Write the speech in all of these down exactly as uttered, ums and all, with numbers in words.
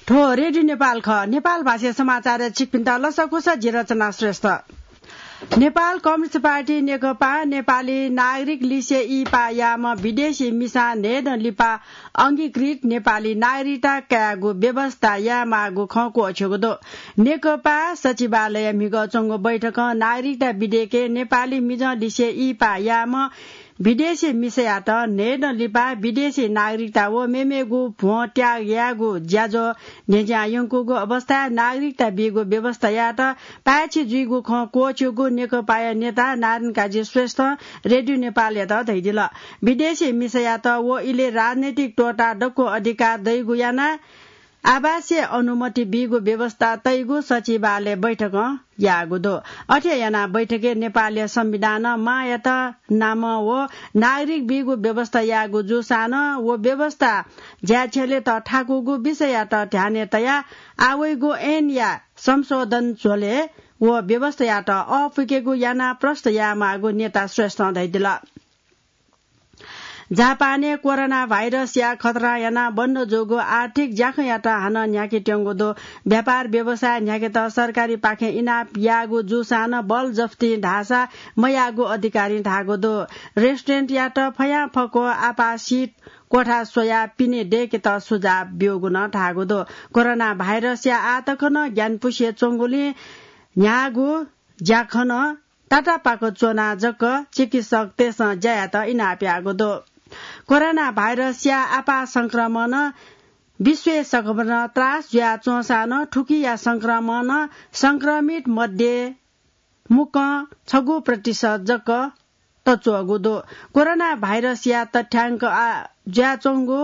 थ्व रेडियो नेपाल खः। नेपाल भाषाया समाचारय् छिकपिन्त लसकुस, जि रचना श्रेष्ठ। नेपाल कम्युनिस्ट पार्टी नेकपा नेपाली नागरिक लिसे इहिपा याःम्ह विदेशी मिसां न्हय्दँ लिपा अंगीकृत नेपाली नागरिकता कायेगु व्यवस्था यायेमाःगु खँ क्वःछ्यूगु दु। नेकपा सचिवालयय् म्हिगः च्वंगु बैठकं नागरिकता विधेयकय् नेपाली मिजं लिसे इहिपा याःम्ह विदेशी मिसायात न्हय्दँ लिपा विदेशी नागरिकता व मेमेगु भ्वं त्याग यायेगु ज्याझ्वः न्ह्यज्यां यंकूगु अवस्थाय् नागरिकता बीगु व्यवस्थायात पाय्छि जुइगु खँ क्वःछ्यूगु नेकपाया नेता नारायण काजी श्रेष्ठं रेडियो नेपालयात धयादिल। विदेशी मिसायात व इलय् राजनैतिक त्वःता दक्व अधिकार दइगु यानाः आवासीय अनुमति बीगु व्यवस्था तइगु सचिवालय बैठकं याःगु दु। अथे यानाः बैठकय् नेपालया संविधानं मांयात नामं व नागरिक बीगु व्यवस्था याःगु जूसां नं व व्यवस्था ज्याय् छ्यलेत थाकूगु विषययात ध्यानय् तयाः आः वइगु ऐनया संशोधन झ्वलय् व व्यवस्थायात अःपुकेगु यानाः प्रष्ट यायेमाःगु नेता श्रेष्ठं धयादिल। जापानय् कोरोना भाइरसया खतरां यानाः बन्द जूगु आर्थिक ज्याखँयात हानं न्ह्याकेत्यंगु दु। व्यापार व्यवसाय न्ह्याकेत सरकारीपाखें इनाप याःगु जूसां नं बल जफ्ती धाःसा मयाःगु अधिकारीं धाःगु दु। रेस्टुरेन्टयात फयांफक्व आपासित क्वथा स्वयाः पिने दय्केत सुझाव ब्यूगु नं धाःगु दु। कोरोना भाइरसया आतंक नं ग्यानापुसे च्वंगुलिं न्ह्याःगु ज्याखँ नं तातापाक च्वनाः जक चिकित्सकतय्सं ज्या यायेत इनाप याःगु दु। कोरोना भाइरसया आपाः संक्रमणं विश्वय् सकभर त्रास जुयाच्वंसां नं थुकिया संक्रमणं संक्रमित मध्ये मुक्कं छगू प्रतिशत जक तच्वःगु दु। कोरोना भाइरसया तथ्यांक आ, जुयाच्वंगु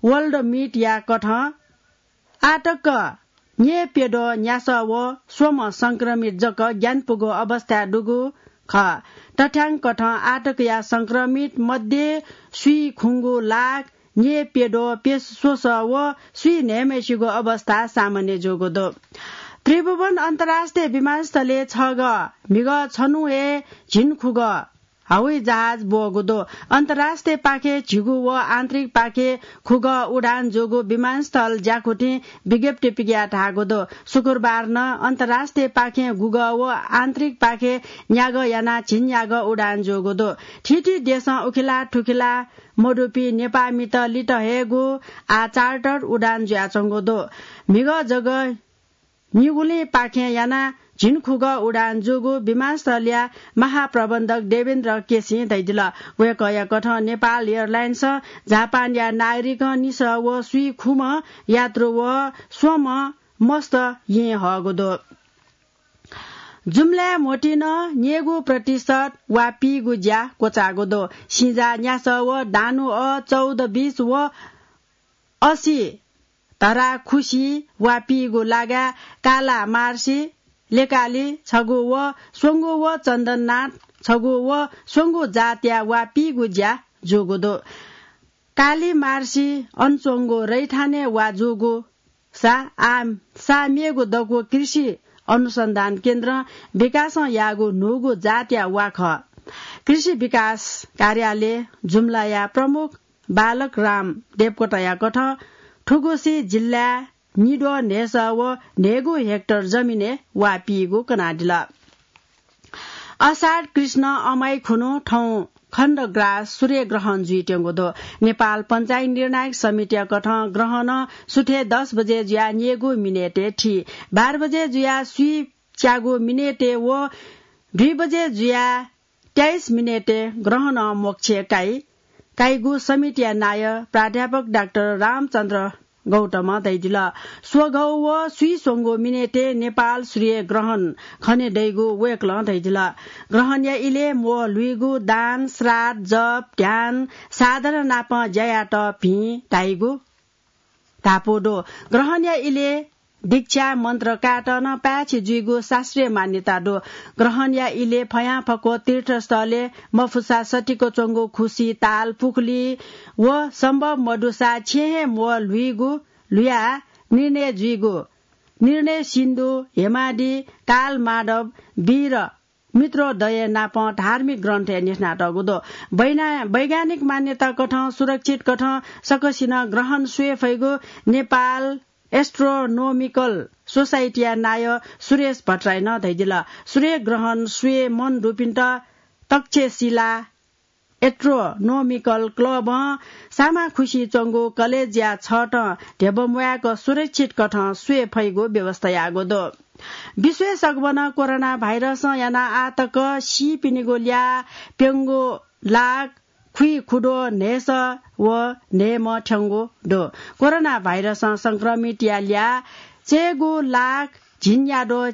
वर्ल्ड मिटया कथं आतक न्यय्प्यद्वः न्यासः व स्वम्ह संक्रमित जक ग्यानापुगु अवस्थाय् दुगु खः। तथ्यांक कथं आतकया संक्रमित मध्ये स्वीखुंगू लाख न्यय्प्यद्वः प्यसः स्वसः व स्वीन्हय्म्हय्सिगु अवस्था सामान्य जूगु दु। त्रिभुवन अन्तर्राष्ट्रिय विमानस्थलय् छगः म्हिगः छन्हु हे झिंखुगः हवाई जहाज ब्वःगु दु। अन्तर्राष्ट्रिय पाखे झिगू व आन्तरिक पाखे खुगः उडान जूगु विमानस्थल ज्याकुथिं विज्ञप्ति पिकयाः धाःगु दु। शुक्रबार नं अन्तर्राष्ट्रिय पाखें गुगः व आन्तरिक पाखे न्यागः यानाः झिंन्यागः उडान जूगु दु। थीथी देशं उखेला थुखेला मदुपिं नेपाःमित लित हयेगु आः चार्टर उडान जुयाच्वंगु दु। म्हिगः जक निगुलिं पाखें यानाः झिंखुगः उडान जूगु विमानस्थलया महाप्रबन्धक देवेन्द्र केसीं धयादिल। वय्कःया कथं नेपाल एयरलाइन्सं जापानया नागरिकं निसः व स्वीखुम्ह यात्रु व स्वम्ह मस्त येँ हःगु दु। जुम्लाय् म्होतिं नं न्यय्गू प्रतिशत वा पीगु ज्या क्वचाःगु दु। सिंजाः न्यासः व दानु अः चौध बिस व असी धरा खुसी वा पीगु लागाय् काला मार्सी, लेकाली छगू व स्वंगू व चन्दननाथ छगू व स्वंगू जातया वा पीगु ज्या जूगु दु। काली मार्सी अन च्वंगु रैथानय् वा जूगु सा, आ, सा मेगु दक्व कृषि अनुसन्धान केन्द्रं विकासं याःगु न्हूगु जातया वा खः। कृषि विकास कार्यालय जुम्लाया प्रमुख बालक राम देवकोटाया कथं थुगुसी जिल्लाय् निद्वः न्हय्सः व न्हय्गू हेक्टर जमिनय् वा पीगु कनादिल। असार कृष्ण अमाइ खुन्हु थौं खण्डग्रास सूर्यग्रहण जुइत्यंगु दु। नेपाल पञ्चायत निर्णायक समितिया कथं ग्रहणं सुथय् दस बजे जुयाः न्यय्गू मिनेटय् थी, बाह्र बजे जुयाः स्वीच्यागू मिनेटय् व दुई बजे जुयाः तेइस मिनेटय् ग्रहणं मोक्ष काइ। काइगु समितिया नायः प्राध्यापक डाक्टर रामचन्द्र गौतमं धयादिल। स्वघौ व स्वीस्वंगू मिनेटय् नेपाल सूर्यग्रहण खने दइगु वय्कलं धयादिल। ग्रहणया इलय् म्वः ल्हुइगु, दान, श्राद्ध, जप, ध्यान, साधना नाप ज्या यायेत भिं धाइगु धापू दु। ग्रहणया इलय् दीक्षा मन्त्र कायेत नं पाय्छि जुइगु शास्त्रीय मान्यता दु। ग्रहणया इलय् फयांफक्व तीर्थस्थलय् मफुसा सतिक च्वंगु खुसि, ताल, पुखुली व सम्भव मदुसा छेँय् हे म्वः ल्हुइगु, ल्हुयाः निर्णय जुइगु, निर्णय सिन्धु, हेमादि, काल माधव, वीर मित्रोदय नाप धार्मिक ग्रन्थय् न्ह्यथनातःगु दु। वैना-, वैज्ञानिक मान्यता कथं सुरक्षित कथं सकसिनं ग्रहण स्वये फइगु नेपाल एस्ट्रोनोमिकल सोसाइटीया नायः सुरेश भट्टराईं नं धयादिल। सूर्यग्रहण स्वये मन दुपिन्त तक्षशिला एस्ट्रोनोमिकल क्लबं सामाखुसि च्वंगु कलेजया छतं ध्यबा म्वायेक सुरक्षित कथं स्वये फइगु व्यवस्था याःगु दु। विश्वय् सगबनं कोरोना भाइरसं यानाः आःतक सीपिनिगु ल्याः प्यंगू लाख खुइखुद्वः न्हय्‌सः व न्हय्‌म्ह थ्यंगु दु। कोरोना भाइरसं संक्रमितया ल्याः चय्‌गू लाख झिंन्याद्वः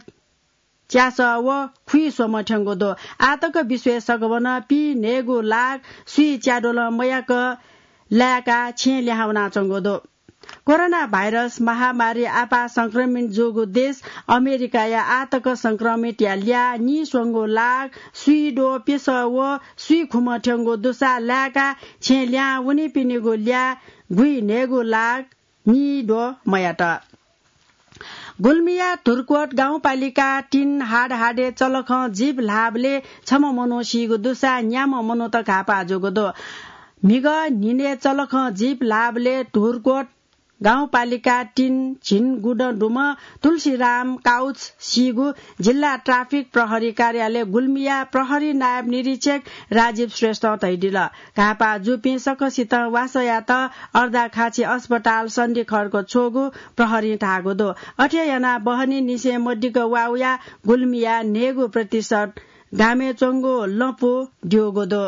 च्यासः व खुइस्वम्ह थ्यंगु दु। आःतक विश्वय् सगबनं पीन्हय्‌गू लाख स्वीं च्याद्वलं मयाक लाय्‌काः छेँ लिहां वनाच्वंगु दु। कोरोना भाइरस महामारी आपाः संक्रमित जूगु देश अमेरिकाया आःतक संक्रमितया ल्याः नीस्वंगू लाख स्वीद्वः प्यसः व स्वीखुम्ह थ्यंगु दुसा लाय्‌काः छेँ लिहां वनीपिनिगु ल्याः गुइन्हय्‌गू लाख नीद्वः मयात। गुल्मीया धुर्कोट गाउँपालिका तीन हाडहाडे चलखं जीप ल्हाःबलय् छम्ह मनू सीगु दुसा न्याम्ह मनूत घाःपाः जूगु दु। म्हिगः न्हिनय् चलखं जीप ल्हाःबलय् धुर्कोट गाउँपालिका तीन झिंगुदँ दुम्ह तुलसीराम काउच सीगु जिल्ला ट्राफिक प्रहरी कार्यालय गुल्मीया प्रहरी नायब निरीक्षक राजीव श्रेष्ठं धयादिल। घाःपाः जूपिं सकसितं वासः यात अर्दाखाँची अस्पताल सन्धिखर्क छ्वःगु प्रहरीं धाःगु दु। अथे यानाः बहनी निसें मदिक्क वा वयाः गुल्मीया न्हय्‌गू प्रतिशत गामय् च्वंगु लँपु द्यूगु दु।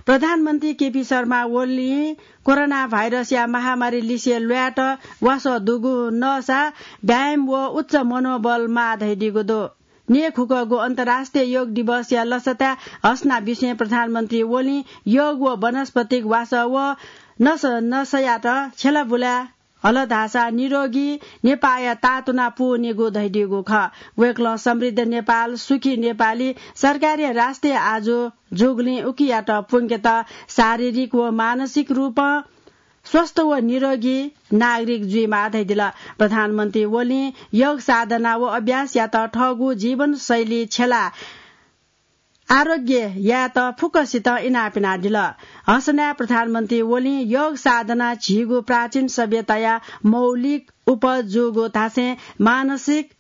प्रधानमन्त्री केपी शर्मा ओलीं कोरोना भाइरसया महामारी लिसे ल्वायेत वासः दुगु नःसा व्यायाम व उच्च मनोबल माः धयादीगु दु। न्यय्‌खुकःगु अन्तर्राष्ट्रिय योग दिवसया लसताय् हसना बिसें प्रधानमन्त्री ओलीं योग व वनस्पतिक वासः व नस नसयात छ्यलाबुलाय् हल धाःसा निरोगी नेपाःया तातुना पूवनीगु धयादीगु खः। वय्‌कलं समृद्ध नेपाल, सुखी नेपाली सरकारी राष्ट्रिय आजु जूगुलिं उकियात प्वंकेत शारीरिक व मानसिक रूपं स्वस्थ व निरोगी नागरिक जुइमाः धयादिल। प्रधानमन्त्री ओलीं योग साधना व अभ्यासयात थःगु जीवनशैली छ्यलाः आरोग्य यायेत फुक्कसितं इनाप यानादिल। हसनाय् प्रधानमन्त्री ओलीं योग साधना झीगु प्राचीन सभ्यताया मौलिक उपज जूगु धासें मानसिक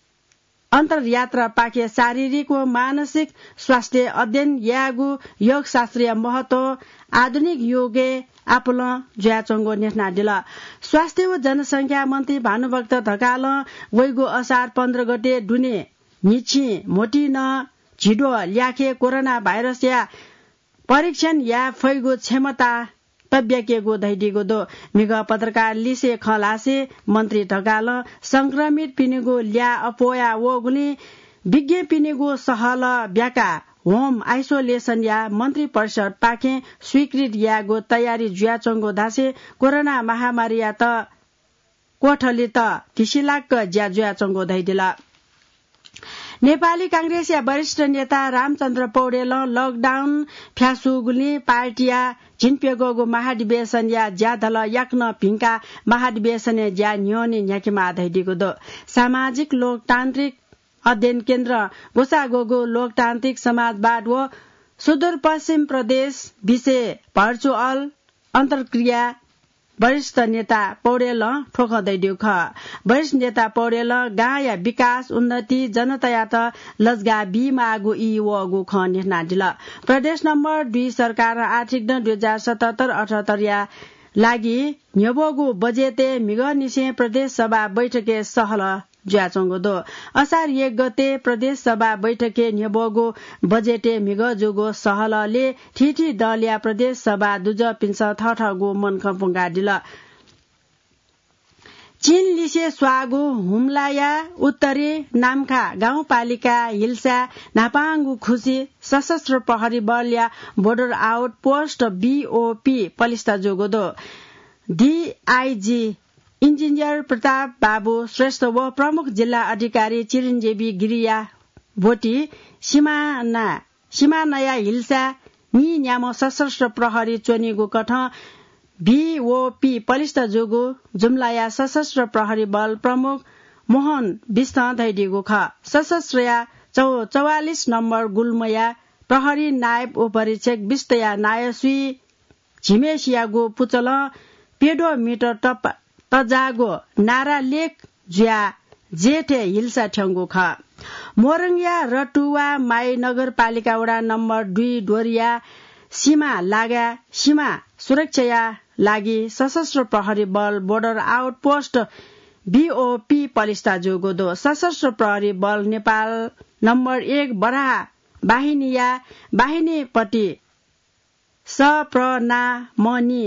अन्तर्यात्रापाखे शारीरिक व मानसिक स्वास्थ्य अध्ययन यायेगु योगशास्त्रीय महत्व आधुनिक योगय् आपालं जुयाच्वंगु न्ह्यथनादिल। स्वास्थ्य व जनसंख्या मन्त्री भानुभक्त ढकालं वइगु असार पन्ध्र गते दुने न्हिच्छिं म्होतिनं झिद्वः ल्याखय् कोरोना भाइरसया परीक्षण याये फइगु क्षमता तब्याकेगु धयादीगु दु। म्हिगः पत्रकार लिसे खँ ल्हासे मन्त्री ढकालं संक्रमितपिनिगु ल्याः अप्वया वःगुलिं विज्ञपिनिगु सहलह ब्याकाः होम आइसोलेसनया मन्त्री परिषदपाखें स्वीकृत यायेगु तयारी जुयाच्वंगु धासें कोरोना महामारीयात क्वथलीत धिसिलाक्क ज्या जुयाच्वंगु धयादिल। नेपाली कांग्रेसया वरिष्ठ नेता रामचन्द्र पौडेलं लकडाउन फ्यासूगुलिं पार्टीया झिंप्यघौगु महाधिवेशनया ज्याधलः याकनं भिंकाः महाधिवेशनया ज्या न्ह्यःने न्ह्याकेमाः धयादीगु दु। सामाजिक लोकतान्त्रिक अध्ययन केन्द्र ग्वसाःग्वःगु लोकतान्त्रिक समाजवाद व सुदूरपश्चिम प्रदेश विषय भर्चुअल अन्तर्क्रिया वरिष्ठ नेता पौडेलं थ्व खँ धयादीगु खः। वरिष्ठ नेता पौडेलं गांया विकास, उन्नति, जनतायात लजगाः बीमाःगु ई वःगु खँ न्ह्यथनादिल। प्रदेश नम्बर दुई सरकारं आर्थिक दँ दुई हजार सतहत्तर अठहत्तरया लागि न्ह्यब्वःगु बजेटय् म्हिगःनिसें प्रदेश सभा बैठकय् सहलह जुयाच्वंगु दु। असार एक गते प्रदेश सभा बैठकय् न्ह्यब्वःगु बजेटय् म्हिगः जूगु सहलहलय् थीथी दलया प्रदेश सभा दुजःपिन्सं थःथःगु मनखँ प्वंकादिल। चीनलिसे स्वाःगु हुम्लाया उत्तरे नाम्खा गाउँपालिका हिल्साय् न्हापांगु खुसि सशस्त्र प्रहरी बलया बोर्डर आउट पोस्ट, बीओपी, पलिस्था जूगु दु। डीआइजी इन्जिनियर प्रताप बाबु श्रेष्ठ व प्रमुख जिल्ला अधिकारी चिरञ्जीवी गिरिया ब्वति सिमाना, सिमानाया हिल्साय् नीन्याम्ह सशस्त्र प्रहरी च्वनीगु कथं बीओपी पलिस्था जूगु जुम्लाया सशस्त्र प्रहरी बल प्रमुख मोहन बिष्टं धयादीगु खः। सशस्त्रया चौ-, चौवालिस नम्बर गुल्मया प्रहरी नायब उपरीक्षक बिष्टया नायः स्वीझिमेसियागु पुचलं प्यद्वः मिटर तप-, तजागो नारा लेख जुया जेठे हिल्सा ठ्यंगु खः। मोरङया रतुवा माई नगरपालिका वडा नम्बर दुई डोरिया सीमा लागा सीमा सुरक्षाया लागि सशस्त्र प्रहरी बल बोर्डर आउटपोस्ट बीओपी पलिस्था जूगु दु। सशस्त्र प्रहरी बल नेपाल नम्बर एक बराहा बाहिनीया बाहिनीपति सप्रनामणि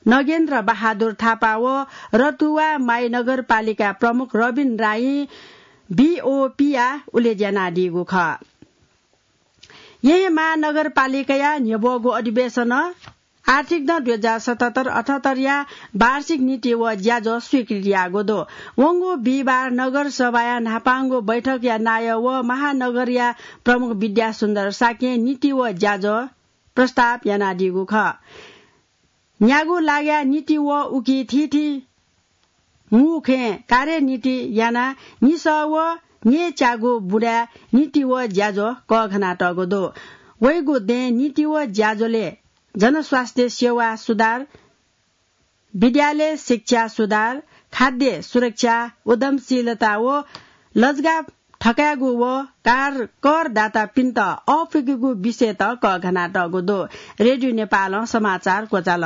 नगेन्द्र बहादुर थापा व रतुवा माई नगरपालिका प्रमुख रबिन राई बीओपीया उलेज्यानादीगु खः। येँ महानगरपालिकाया न्ह्यब्वःगु अधिवेशन आर्थिक नं दुई हजार सतहत्तर अठहत्तरया वार्षिक नीति व ज्याझ्वः स्वीकृति याःगु दु। वंगु बिहिबार नगरसभाया न्हापांगु बैठकया नायः व महानगरया प्रमुख विद्यासुन्दर शाक्यं नीति व ज्याझ्वः प्रस्ताव यानादीगु खः। न्यागू लाग्या नीति व उकी थीथी मुखें कार्यनीति याना निसः व न्येच्यागू बुँदाय् नीति व ज्याझ्वः कःघानातःगु दु। वइगु दँय् नीति व ज्याझ्वलय् जनस्वास्थ्य सेवा सुधार, विद्यालय शिक्षा सुधार, खाद्य सुरक्षा, उद्यमशीलता व लजगाः थकायेगु व कार-, करदातापिन्त अःपुइकेगु विषयत कःघानातःगु दु। रेडियो नेपालं समाचार क्वचाल।